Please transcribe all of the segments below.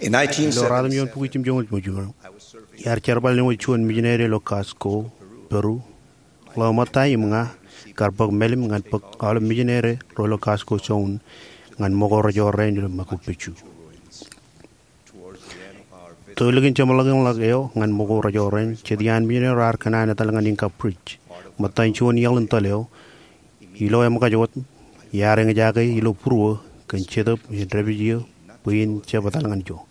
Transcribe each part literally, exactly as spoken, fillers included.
Ilo ruatimjuon bukwi jimjuonñoul jiljino, iar jerbal āinwōt juon mijineri ilo Cusco, Peru. Ḷeo ṃōtta im ña kar bōk mālim ñan bōk aolep mijineri ro ilo Cusco zone ñan ṃōko rejoor rein ilo Machu Picchu. Tōl likin jeṃḷọkin ḷọk eo ñan ṃōko rejoor rein, jet iaan mijineri ro ear kōṇaan etal ñan Inca Bridge, ṃōttan juon iaḷ in tōl eo. Ilo eṃōkaj wōt, iar eñjake ilo būruō kōn Jetōb in dāpij eō bwe in jab etal ñan ijo.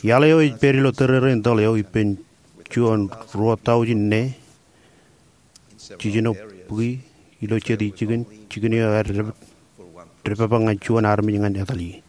Iaḷ eo ej pād ilo tōrerein tōl eo ippān juon ruo taujin ne jiljino bukwi ilo jet jikin, jikin eo ear dāpij, dāpij ñan juon armej ñan etal ie.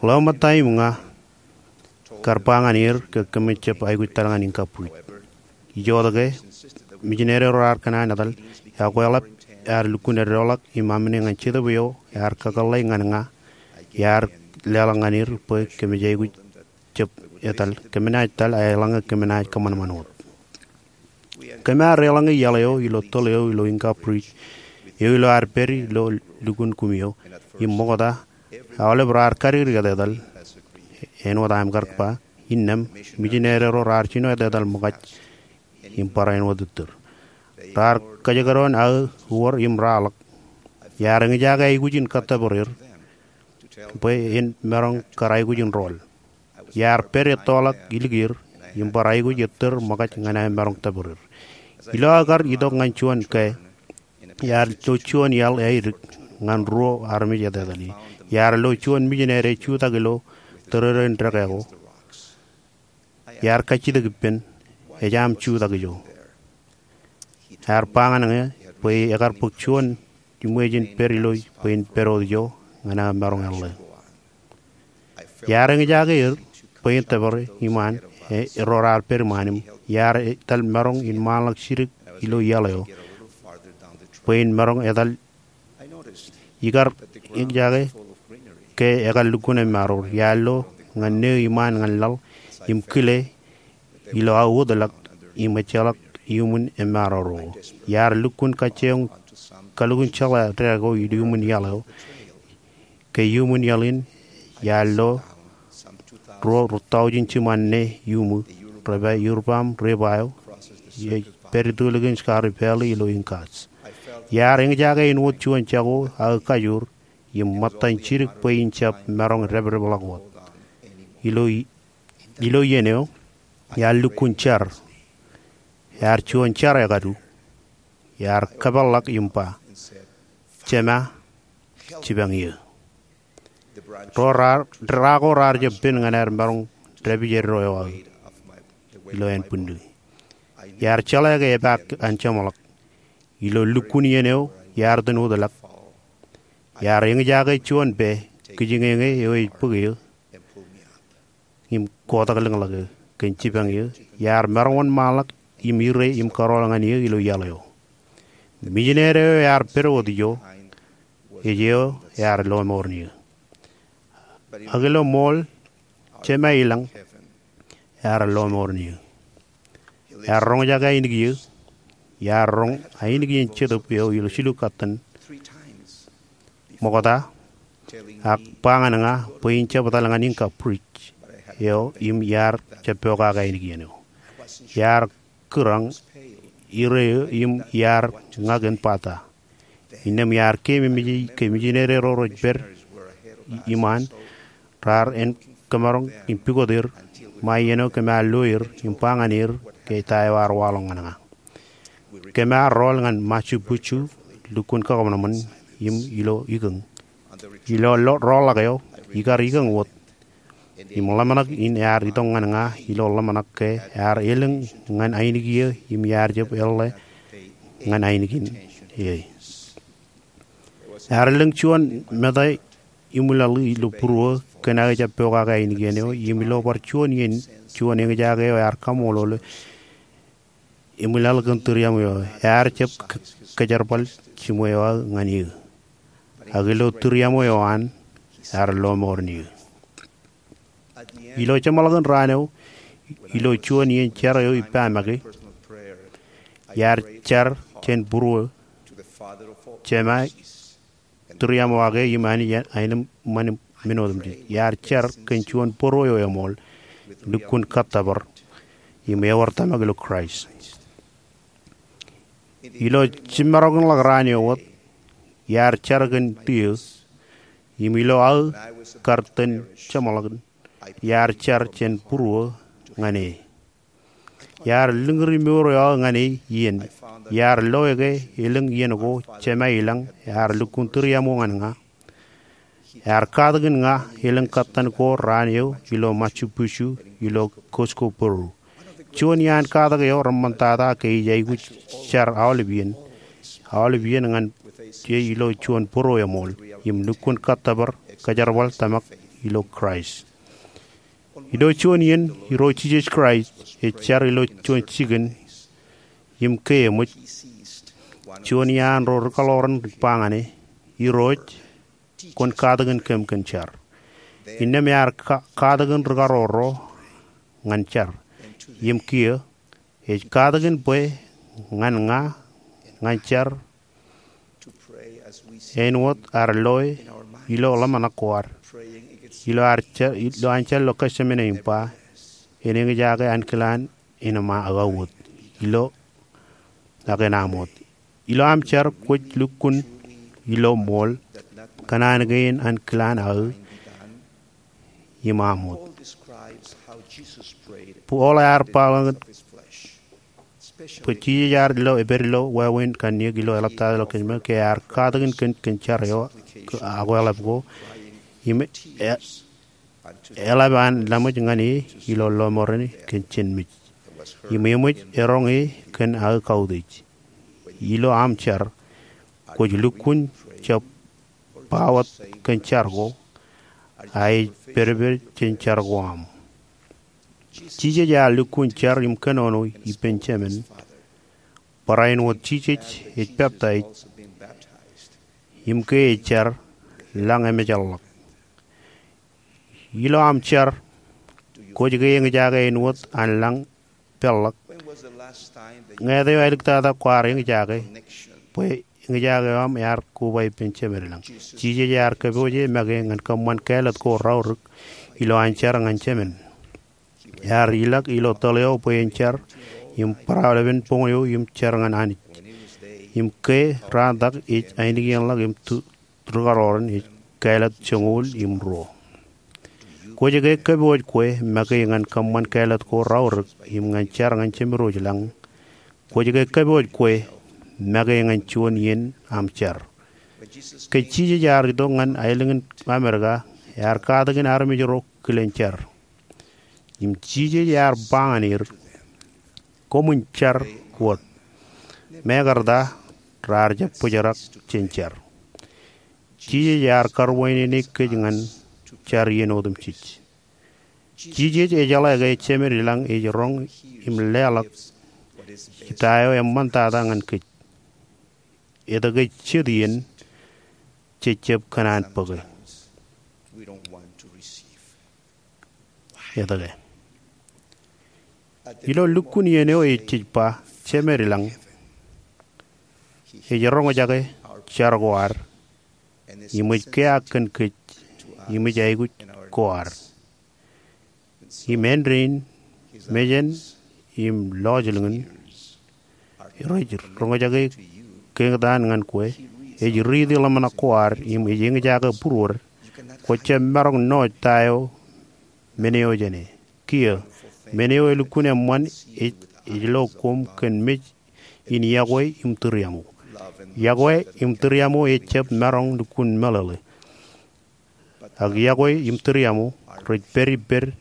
Ḷeo ṃōtta im ña kar ba ñan er ke kōmij jab aikuj etal ñan Inca Bridge. Ijoke, mijineri ro ear kōṇaan etal, ekweḷap ear lukkuun eddoḷọk im amine ñan Jetōb eo ear kakōḷḷe ñan ña, iar leḷọk ñan er bwe kōmij aikuj jab etal, kōm naaj etal, eḷaññe kōm naaj kōṃanṃan wōt. Kōm ar eḷaññe iaḷ eo ilo tōl eo ilo Inca Bridge eo ilo ad pād ilo lukkuun kumi eo, im ṃokta, aolep raar kadikdik etetal, āinwōt aṃ kar ba, innām, mijineri ro raar jino etetal ṃōkaj im bar āinwōt ittōr. Raar kōjekdọọn aō uwōr im raar ḷọk. Iar eñjake aikuj in kōttōpar er bwe en maroñ kar aikuj in rool. Iar pād ettoḷọk ilikier im bar aikuj ettōr ṃōkaj ñan aō maroñ tōpar er. Ilo aō kar itok ñan juon kāāl, iar lo juon iaḷ eadik ñan ruo armej etetal ie. Iar lo juon mijineri ej jutak ilo tōrerein dekā ko. Iar kajjitōk ippān, ej aṃ jutak ijo. Ear ba ñan ña bwe ekar bōk juon iṃweej in pād ilo bwe in pād wōt ijo ñan aō maroñ eḷḷā. Iar eñjake er bwe in tōpar iṃaan, e, ro raar pād iṃaan im iar etal maroñ in ṃaanḷọk jidik ilo iaḷ eo bwe in maroñ etal. Ikar eñjake ke ekar lukkuun emaroor. Iar lo ñan neo iṃaan ñan laḷ im kile ilo aō wōtlọk im ejjeḷọk iuṃwin emaroor eo. Iar lukkuun kajjioñ kalukkuun jeḷā dekā ko iuṃwin iaḷ eo. Ke iuṃwin iaḷ in, iar lo ruo, ruo taujin jiṃaan ne iuṃwin, rej ba Urubamba Repa eo, ej pād itōlikin Scarpe Valley ilo Incas. Iar eñjake āinwōt juon jako aō kajoor, im ṃōttan jidik bwe in jab maroñ dāpdepḷọk wōt. Ilo i-, ilo iien eo, iar lukkuun jar. Iar juon jar ekadu. Iar kōpeḷḷọk im ba, Jema, jipañ eō. Ro raar, dra ko raar jab pen ñan aer maroñ dāpij eddo eo aō ilo ānbwinnū. Iar jeḷā ke epaak an jeṃḷọk. Ilo lukkuun iien eo, iar itōn wōtlọk. Iar eñjake juon pā kijiñeñe eo ej bōk eō im kotak lōñḷọk eō kōn jipañ eō. Iar maroñ wōnṃaanḷọk im ire im kōrọọl ñan eō ilo iaḷ eo. Mijineri eo ear pād wōt ijo, ej eo ear lọmọọren eō. Ak ilo ṃool, Jema ilañ ear lọmọọren eō. Ear roñjake ainikien, iar roñ ainikien Jetōb eo ilo jilu katten ṃokta, ak ba ñan ña bwe in jab etal ñan Inca Bridge eo im iar jab pokake ainikien eo. Iar kūrañ ire eō im iar ña kōn bata. Innām iar keememej ke mijineri ro rej pād iṃaan raar en kōmaroñ im pukot er ṃae iien eo kōm ar lo er im ba ñan er ke ta eo ear waḷọk ñan ña. Kōm ar rool ñan Machu Picchu, lukkuun kakōṃanṃan im ilo ikōñ. Ilo lo-, roolḷọk eo, ikar ikōñ wōt im ḷōmṇak in ear itok ñan ña ilo ḷōmṇak ke ear elōñ ñan ainikien im iar jab eḷḷā ñan ainikien e. Ear elōñ juon meta iṃwilaḷ ilo būruō kōn aō jab pokake ainikien eo im ilo bar juon iien juon eñjake eo ear kaṃṃoolol iṃwilaḷ kōn tūriaṃo eo. Ear jab k-, kōjerbal jiṃwe eo aō ñan eō. Ak ilo tūriaṃo eo an, ear lọmọọren eō. Ilo jeṃḷọkin raan eo, ilo juon iien jar eo ippa make, iar jar jān būruō, Jema, tūriaṃo ake im Anij aenōṃṃan men otemjej. Iar jar kōn juon būruō eo eṃool, lukkuun kōttōpar im ewōr tōmak ilo Kraist. Ilo jimmarokḷọk raan eo wōt, iar jar kōn tiō, im ilo aō kar tōn jeṃḷọkin, iar jar jān būruō ñan e. Iar lōñri mour eo aō ñan e iien. Iar loe ke elōñ iien ko Jemā i lañ ear lukkuun tūriaṃo ñan ña. Ear katakin ña elōñ kōttan ko raan eo ilo Machu Picchu ilo Cusco, Peru. Juon iaan katak eo reṃṃantata ke ij aikuj jar aolep iien, aolep iien ñan e ilo juon būruō eṃool, im lukkuun kōttōpar kōjerbal tōmak ilo Kraist. Ilo juon iien, Irooj Jisōs Kraist ej jar ilo juon jikin im ke eṃōj. Juon iaan ro rikaḷoran ej ba ñan e, Irooj, kwōn katakin kōm kōn jar. Innām ear ka- katakin rikarooro ñan jar. Im kiiō, ej katakin bwe ñan ña ñan jar āinwōt ad loe ilo ḷōmṇak ko ad, ilo ad jar, ilo an jar ilo Getsemane im ba, en eñjake ankilaan en aṃ wōt, ilo ak en aṃ wōt. Ilo aṃ jar kwōj lukkuun ilo ṃool kōn an kein ankilaan aō im aṃ wōt. Paul ear ba ḷọk bwe Jisōs ear ilo epād ilo wāween kanniōk ilo eḷaptata ilo Getsemane ke ear katakin kōn kōn jar eo akweḷap ko im e- eḷap an laṃōj ñan e ilo lọmọọren kōn jān mej. Im eṃōj eroñ e kōn aō kautiej. Ilo aṃ jar kwōj lukkuun jab ba wōt kōn jar ko, a ej pedped jān jar ko aṃ. Jisōs ear lukkuun jar im kōnono ippān Jemān barāinwōt Jisōs ej peptaij im ke ej jar lañ emājḷọk. Ilo aṃ jar, kwōj ke eñjake āinwōt an lañ peḷḷọk? Ñāāt eo āliktata kwaar eñjake bwe eñjake eo aṃ ear koba ippān Jemān i lañ? Jisōs ear kōpooje make ñan kōṃṃan kāālōt ko raorōk ilo an jar ñan Jemān. Ear ilọk ilo tōl eo bwe en jar im barāinwōt boñ eo im jar ñan Anij. Im ke raantak ej ainikienḷọk im tu- rūkaroron ej kāālōt joñoul im ruo. Kwōj ke kōpooj kwe make ñan kōṃṃan kāālōt ko raorōk im ñan jar ñan Jemān Irooj i lañ? Kwōj ke kōpooj kwe make ñan juon iien aṃ jar? Ke Jisōs ear itok ñan aelōñ in Amerika, ear katakin armej ro kilen jar. Im Jisōs ear ba ñan er, koṃwin jar wōt. Mekarta raar jab bōjrak jān jar. Jisōs ear karuwainene kōj ñan jar iien otemjej. Jisōs ejeḷā ke Jemān i lañ ej roñ im leḷọk ta eo eṃṃantata ñan kōj. Etke jet iien jej jab kōṇaan bōke? Etke? Ilo lukkuun iien eo ej jej ba, Jemān i lañ ej roñjake jar ko ad im ej kiaak kōn kōj im ej aikuj ko ad. Im āindein, mejān im lọjilñin rej roñjake keñtaan ñan kwe, ej riiti ḷōmṇak ko ad im ej eñjake būruod. Kwōj jab maroñ ṇooj ta eo men eo jāne. Kiiō, men eo elukkuun eṃṃan ej, ej lo koṃ kōn mej in yokwe im tūriaṃo. Yokwe im tūriaṃo ejab maroñ lukkuun meḷeḷe. Ak yokwe im tūriaṃo rej pād ippād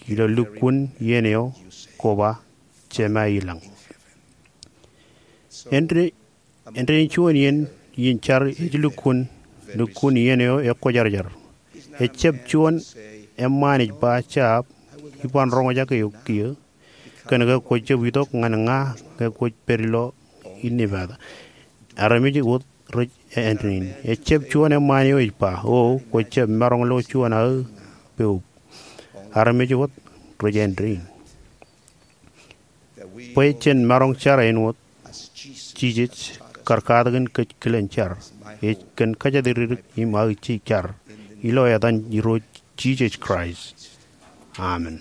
ilo lukkuun iien eo koba Jemān i lañ. Āindein, āindein juon iien, iien jar ej lukkuun, lukkuun iien eo ekwōjarjar. Ejab juon eṃṃaan ej ba, jab, iban roñjake eok kiiō, kōnke kwōj jab itok ñan ña ñe kwōj pād ilo innepata. Armej wōt rej āindein. Ejab juon eṃṃaan eo ej ba, o, kwōj jab maroñ lo juon aō poub. Armej wōt rej āindein. Bwe jen maroñ jar āinwōt Jisōs kar katakin kōj kilen jar, ej kōn kōjatdikdik im aō jar. ilo etan Irooj Jisōs Kraist, amen.